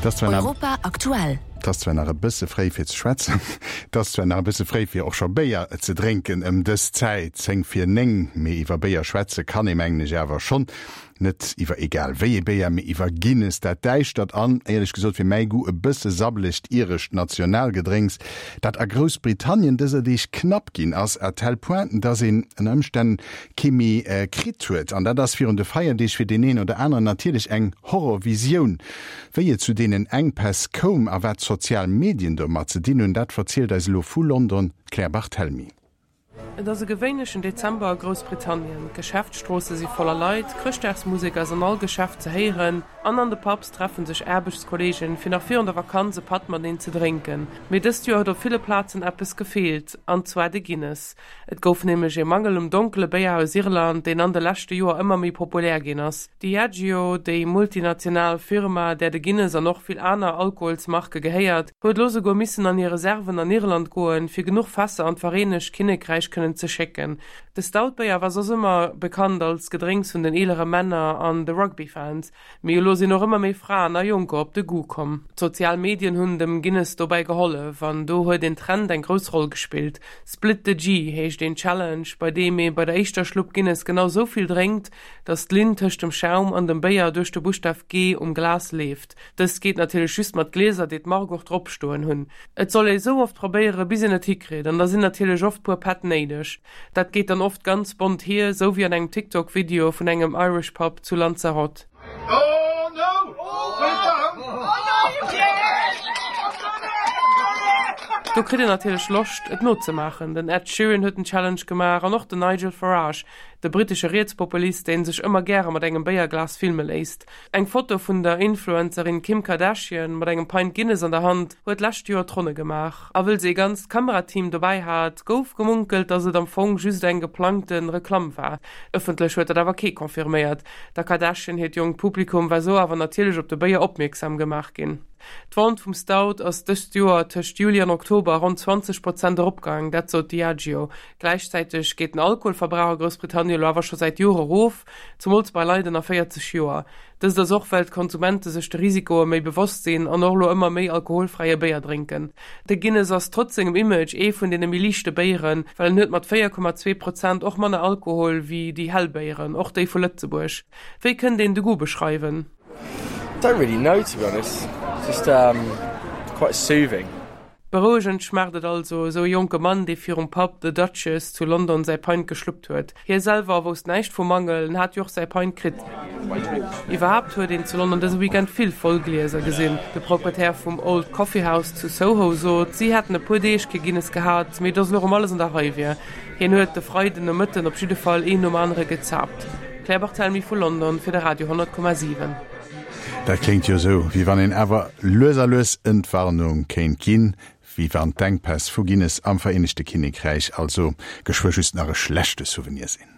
Europa aktuell. Et ass zwar nach e bësse fréi fir ze schwätzen, et ass zwar nach e bësse fréi fir och scho Béier ze drénken ëm dës Zäit, 10 vir 9, mee iwwer Béier schwätze kann ee mengen ech awer schonn. Net iwwer egal wéi ee Béier, mee iwwer Guinness, dat däischtert an, éierlech gesot, fir mäi Goût e bësse sabbelegt irescht Nationalgedrénks, dat a Groussbritannien dëser Deeg knapp ginn ass, à tel point, dass een ënner Ëmstänn kee méi kritt huet. An dat ass virun de Feierdeeg fir deen een oder aneren natierlech eng Horrorvisioun. Wéi et zu deenen Enkpäss koum a wat d'sozial Medien domat ze dinn hunn, dat verzielt eis elo vu London d'Claire Barthelmy. Et ass e gewéinlechen Dezember a Groussbritannien. D'Geschäftsstroosse si voller Leit, Chrëschtdagsmusek ass an all Geschäft ze héieren an an de Pubs treffe sech Aarbechtskollegen, fir nach virun der Vakanz e Patt mateneen ze drénken. Mee dëst Joer huet op ville Plazen eppes gefeelt, an zwar de Guinness. Et gouf nämlech ee Mangel um donkele Béier aus Irland, deen an de leschte Joer ëmmer méi populär ginn ass. Diageo, déi multinational Firma, där de Guinness an och vill aner Alkoholsmarke gehéiert, huet elo souguer missen an hir Reserven an Irland goen, fir genuch Fässer an d'Vereenegt Kinnekräich kënnen ze schécken. De Stout-Béier war soss ëmmer bekannt als Gedrénks vun den eelere Männer an de Rugby-Fans, mee elo sinn och ëmmer méi Fraen a Jonker op de Goût komm. D'sozial Medien hunn dem Guinness dobäi gehollef an do huet een Trend eng grouss Roll gespillt. Split the G heescht een Challenge, bei deem ee bei der éischter Schlupp Guinness genau sou vill drénkt, dass d'Linn tëscht dem Schaum an dem Béier duerch de Buschtaf G um Glas leeft. Dëst geet natierlech just mat Glieser, déi d'Mark och drop stoen hunn. Et soll ee sou oft probéiere bis een et hikritt an da sinn natierlech oft puer Pätt néideg. Dat geet dann oft ganz bont hier, sou wéi an engem TikTok Video vun engem Irish Pub zu Lanzarote. Do kritt een natierlech Loscht et nozemaachen. Den Ed Sheeran huet den Challenge gemaach an och den Nigel Farage. De brittesche Rietspopulist, deen sech ëmmer gäre mat engem Béierglas filme léisst. Eng Foto vun der Influencerin Kim Kardashian mat engem Pint Guinness an der Hand huet d'lescht Joer d'Ronne gemaach. A wëll se ee ganzt Kamerateam dobäi hat, gouf gemunkelt, datt et am Fong just eng geplangte Reklamm war. Ëffentlech huet dat awer kee confirméiert. Der Kardashian hiert jonkt Publikum war sou awer natierlech op de Béier opmierksam gemaach ginn. D'Vente vum Stout ass dëst Joer tëscht Juli an Oktober ronn 20 Prozent eropgaang, dat sot Diageo. Gläichzäiteg geet den Alkoholverbrauch a Groussbritannien elo awer scho säit Jore erof, zemools bei Leit ënner 40 Joer. Dëst ass och, well d'Konsumente sech de Risikoe méi bewosst sinn an och elo ëmmer méi alkoholfräie Béier drénken. De Guinness ass trotz sengem Image ee vun deene méi liichte Béieren, well en huet mat 4,2 Prozent och manner Alkohol wéi déi hell Béieren, och déi vu Lëtzebuerg. Wéi kënnt een de Goût beschreiwen? Don't really know to be honest, just quite soothing. Berouegend schmaacht et also, esou e jonke Mann, dee virum Pub The Duchess zu London säi Pint geschluppt huet. Hie selwer wousst näischt vum Mangel, en hat jo och säi Pint kritt. Iwwerhaapt huet een zu London dëse Weekend vill voll Glieser gesinn. De Proprietär vum Old Coffee House zu Soho sot, si hätten e puer Deeg kee Guinness gehat, mee datt elo erëm alles an der Rei wier. Hien huet de Freiden Nomëtten op jidde Fall een nom anere gezaapt. Claire Barthelmy vu London fir de Radio 10,7. Dat kléngt jo esou, wéi wann een awer lues a lues Entwarnung kéint ginn, wéi wann d'Enkpäss vu Guinness am Vereenegte Kinnekräich also geschwë just nach e schlechte Souvenir sinn.